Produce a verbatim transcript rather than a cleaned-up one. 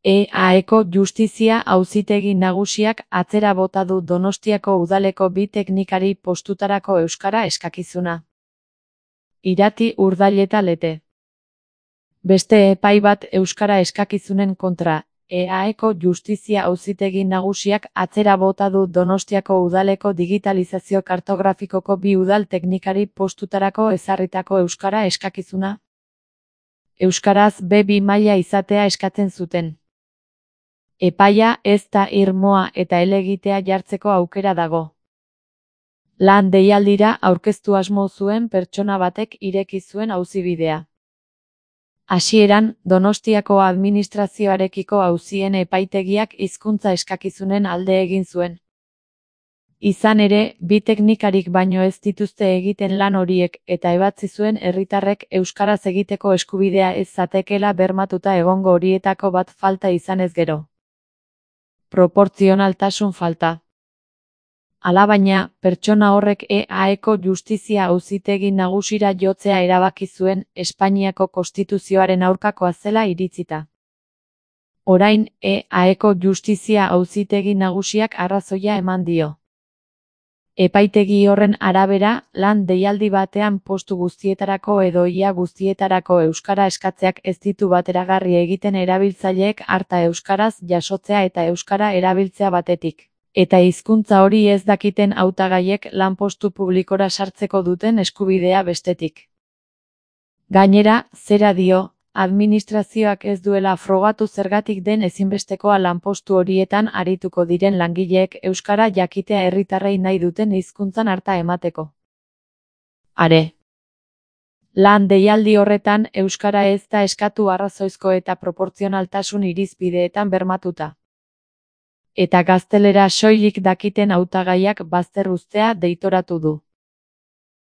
E-Aeko Justizia Auzitegi Nagusiak atzera bota du Donostiako udaleko bi teknikari postutarako euskara eskakizuna. Irati Urdaileta Lete. Beste epai bat euskara eskakizunen kontra, E-Aeko Justizia Auzitegi Nagusiak atzera bota du Donostiako udaleko digitalizazio kartografikoko bi udal teknikari postutarako ezarritako euskara eskakizuna. Euskaraz be bi maila izatea eskatzen zuten. Epaia ez da irmoa eta helegitea jartzeko aukera dago. Lan deialdira aurkeztu asmo zuen pertsona batek ireki zuen auzibidea. Hasieran, Donostiako administrazioarekiko auzien epaitegiak hizkuntza eskakizunen alde egin zuen. Izan ere, bi teknikarik baino ez dituzte egiten lan horiek eta ebatzi zuen herritarrek euskaraz egiteko eskubidea ez zatekeela bermatuta egongo horietako bat falta izanez gero. Proportzionaltasun falta. Alabaina, pertsona horrek E-Aeko Justizia Auzitegi Nagusira jotzea erabaki zuen Espainiako Konstituzioaren aurkakoa zela iritzita. Orain, E-Aeko Justizia Auzitegi Nagusiak arrazoia eman dio. Epaitegi horren arabera, lan deialdi batean postu guztietarako edo ia guztietarako euskara eskatzeak ez ditu bateragarri egiten erabiltzaileek harta euskaraz jasotzea eta euskara erabiltzea batetik, eta hizkuntza hori ez dakiten hautagaiek lanpostu publikora sartzeko duten eskubidea bestetik. Gainera, zera dio, administrazioak ez duela frogatu zergatik den ezinbestekoa lanpostu horietan arituko diren langileek euskara jakitea herritarrei nahi duten hizkuntzan harta emateko. Are. Lan deialdi horretan euskara ez da eskatu arrazoizko eta proportzionaltasun irizpideetan bermatuta. Eta gaztelera soilik dakiten hautagaiak bazter uztea deitoratu du.